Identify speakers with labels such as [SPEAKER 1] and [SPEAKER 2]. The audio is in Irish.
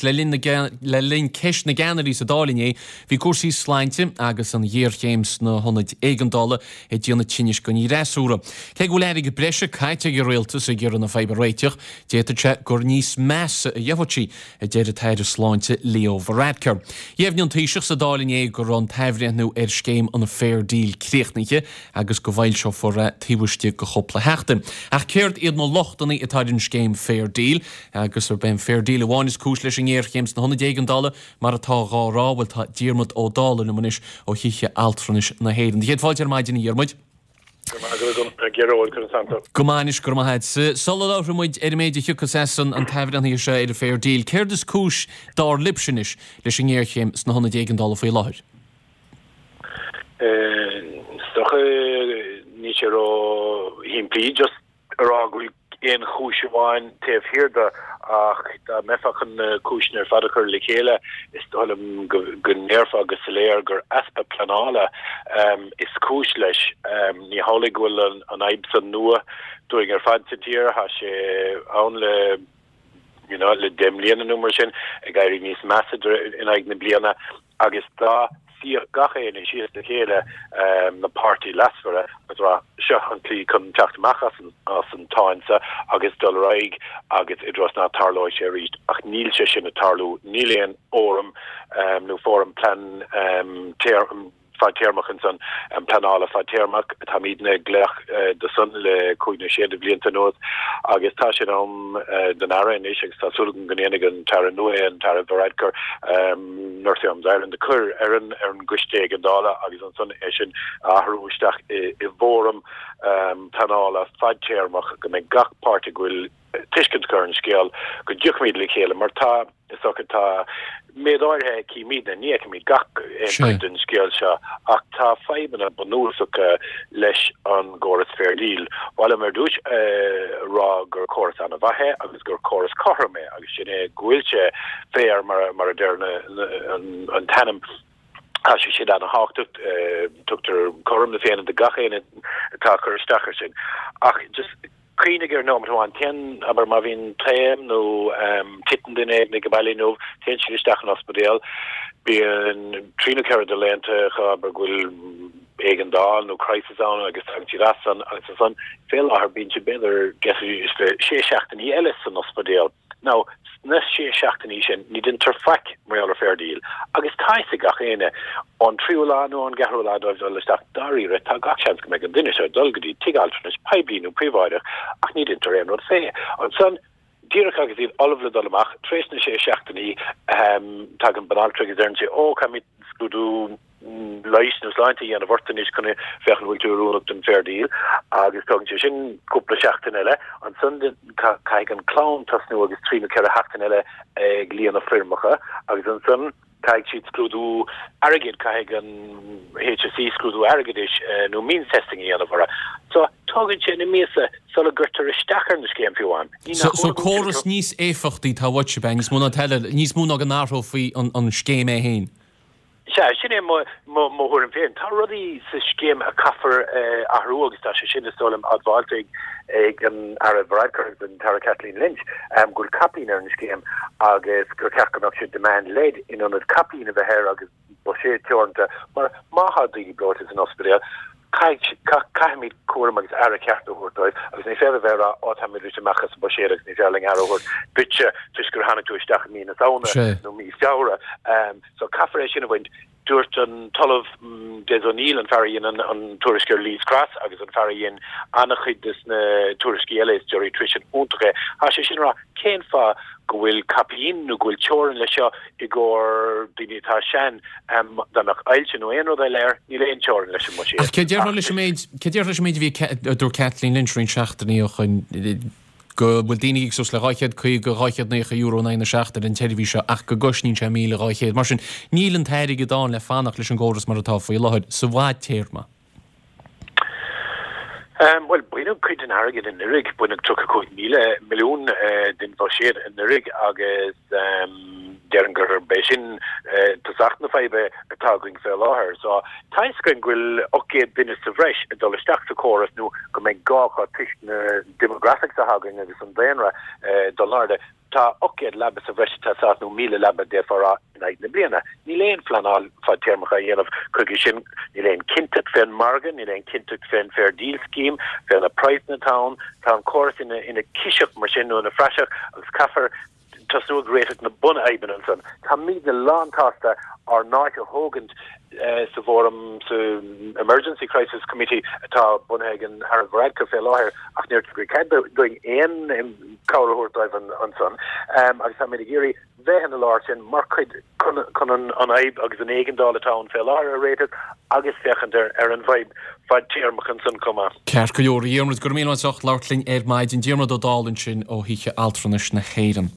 [SPEAKER 1] Le linn le linn Ceist na gCeannairí sa Dáil inné, bhí cúrsaí sláinte agus an ghéarchéim sna hionaid éigeandála ag déanamh tinnis don fhreasúra. Cé go bhfuil airgead breise caite ag an rialtas ag iarraidh na fadhb a réiteach, d'fhéadfadh sé gur níos measa a gheobhaidh sí, a deir an tAire Sláinte Leo Varadkar. Dheimhnigh an Taoiseach sa Dáil inné go raibh an t-athbhreithniú ar scéim an Fair Deal críochnaithe agus go bhfoilseofar é taobh istigh de chúpla sheachtain. Ach céard iad na lochtanna atá ar an scéim Fair Deal? Agus arb é an Fair Deal amháin is cúis leis an ngéarchéim sna hionaid éigeandála, mar atá dhá rá? Bhuel, tá Diarmuid Ó Dálaigh liom anois ó Thithe Altranais na hÉireann. Do chéad fáilte ar maidin, a Dhiarmuid.
[SPEAKER 2] Go raibh maith agat, a Ghearóid, conas tánn tú?
[SPEAKER 1] Go maith anois, go raibh maith agat. Sula labhróidh muid ar an méid a thiocfas as an t-athbhreithnithe seo ar an Fair Deal, céard is cúis, dar libhse anois, leis an ngéarchéim sna hionaid éigeandála faoi láthair?
[SPEAKER 2] Is dócha, níl sé ró-shimplí, just a rá go bhfuil aon chúis amháin taobh thiar de ach dá mbeifeá chun na cúiseanna ar fad a chur le chéile, is dóigh liom go ndéarfá go soiléir gur easpa pleanála is cúis leis. Ní hamhlaidh go bhfuil an fhadhb san nua dúinn ar fad sa tír, tá sé ann le you know le 10 mbliana nó mar sin, ag éirí níos measa in aghaidh na bliana. Agus dá suíodh gach éinne síos le chéile, na páirtithe leasmhara, agus rá, seo an tslí chun teacht amach as an tsáinn seo agus dul ar aghaidh agus i dtreo is ná tarlóidh sé arís. Ach níl sé sin ag tarlú. Níl aon fhóram nó fóram plean fadtéarmach ansan, pleanála fadtéarmach. Táimidne ag glaoch do san le cúig nó sé de bhlianta anuas agus tá sé in am don Aire anois agus tá súil agam go ndéanfaidh an tAire nua é, an tAire Varadkar, Nursing Homes Ireland a chur ar an ar an gcoiste éigeandála agus ansan é sin a athrú isteach i bhfóram pleanála fadtéarmach go mbeidh gach páirtí go bhfuil tuiscint acu ar an scéal, go dtiocfaimid le chéile mar tá, is dócha, tá méid áirithe a fheicimidne, ní fheicimid gach aon chuid den scéal seo ach tá fadhbanna bunúsacha leis an gcóras Fair Deal. Ba mhaith liom ar dtús a rá gur córas an-mhaith é agus gur córas cothrom é agus sin é go bhfuil sé fair mar a deir an t-ainm. Tá sé sin ana-thábhachtach, tugtar cothrom na Féinne do gach éinne atá ag cur isteach air sin. Ach just cuimhnigh ar nóiméad amháin, téann, abair má bhíonn taom nó titeann duine éigin ag an baile inniu, téann siad isteach an ospidéal, bíonn trí nó ceithre de laethanta acu, abair go bhfuil éigeandáil nó crisis ann agus tagann siad as san agus ansan fé láthair bíonn siad b'fhéidir deich is sé seachtainí eile san ospidéal. Now, sna sé seachtainí sin, ní deintear faic mar gheall ar Fair Deal, agus tá fhios ag gach éinne, ón tríú lá nó ón gceathrú lá dóibh dul isteach, dáiríre, tá gach seans go mbeidh an duine seo ag dul go dtí tigh altranais, poiblí nó príobháideach, ach ní deintear aon rud fé. Ansan, díreach agus iad ullamh le dul amach, tar éis na sé seachtainí, tagann banaltra agus deireann sí, Ó, caithfimid scrúdú leighis nó sláinte a dhéanamh ort anois chun féachaint an bhfuil tú oiriúnach don Fair Deal agus tógann sé sin cúpla seachtain eile. Ansan caithfidh an clann tosnú agus trí nó ceithre sheachtain eile ag líonadh foirmeacha agus ansan caithfidh siad scrúdú airgid, caithfidh an HSE scrúdú airgeadais nó means testing a dhéanamh orthu. So tógann sé na míosa sula gcuirtear isteach ar na scéim fiú amháin.
[SPEAKER 1] Ní nach So córas níos éifeachtaí atá uait, ab ea? Níos mó ná níos mó ná go n-athrófaí an scéim é féin?
[SPEAKER 2] Sea, sin é mo thuairim féin. Tá rudaí sa scéim a caithfear athrú agus tá sé sin, is dóigh liom, admháilte ag an Aire Varadkar agus an tAire Kathleen Lynch, go bhfuil caipín ar an scéim agus gur cheart go mbeadh sé demand-led in ionad caipín a bheith air agus buiséad teoranta. Mar má tá daoine breoite san ospidéal, Caithfimid cúram agus aire ceart a thabhairt dóibh agus ní féidir a bheith ag rá, 'Ó, táimid rite amach as an mbuiséad agus ní féidir linn aire a thabhairt duitse toisc gur tháinig tú isteach i mí na Samhna nó mí Feabhra. So caithfear é sin a bhaint. Dúirt an tOllamh Des O'Neill, an fear a dhein an tuairisc ar Lees Cross agus an fear a dhein an-chuid des na tuairiscí eile, is geriatrician iontach é, tá sé sin ag rá, cén fáth go bhfuil caipín nó go bhfuil teorainn leis seo i gcomhair daoine atá sean, dá mbeadh ailse nó aon rud eile air, níl aon teorainn leis an mbuiséad.
[SPEAKER 1] Ach cé déarfá leis an méid, cé déarfá leis an méid a bhí, a dúirt Kathleen Lynch roinnt seachtainí ó shoin, go bhfuil daoine ag íoc suas le €250, €290 in aghaidh na seachtaine ar an tseirbhís seo ach go gcosnaíonn sé 1,200. Mar sin, níl an t-airgead ann le fanacht leis an gcóras mar atá faoi láthair sa bhfadtéarma.
[SPEAKER 2] Bhuel, baineadh cuid den airgead anuraidh, baineadh 35,000 milliún den bhuiséad anuraidh agus déarfainn gurb é sin. tosach na faidhbe atá againn fé láthair. So, tá fhios againn go bhfuil 800 duine sa bhreis ag dul isteach sa chóras nó go mbeidh gá acu toisc na demographics atá againn agus an daonra ag dul in airde. Tá 800 leaba sa bhreis ag teastáil nó 1,000 leaba d'fhéadfá a rá in aghaidh na bliana. Níl aon phleanáil fadtéarmach á dhéanamh chuige sin, níl aon cinnteacht fén margadh, níl aon cinnteacht fén Fair Deal Scheme, fé na praghsanna atá ann. Tá an córas ina ciseach mar sin nó ina phraiseach agus caithfear tosnú ag réiteach na bunfhadhbanna ansan. Táimidne lán-tsásta ár n-áit a thógaint sa bhfóram, sa Emergency Crisis Committee atá bunaithe ag an Aire Varadkar fé láthair ach níor tugadh cead dúinn aon cabhair a thabhairt dóibh ansan agus táimid ag iarraidh bheith ina lár sin mar chuid chun an fhadhb agus an éigeandáil atá ann fé láthair a réiteach agus féachaint ar an bhfadhb fadtéarmach ansan chomh maith.
[SPEAKER 1] Ceart go leor, a Dhiarmuid, go raibh míle maith as ucht labhairt linn ar maidin. Diarmuid Ó Dálaigh ansin ó Thithe Altranais na hÉireann.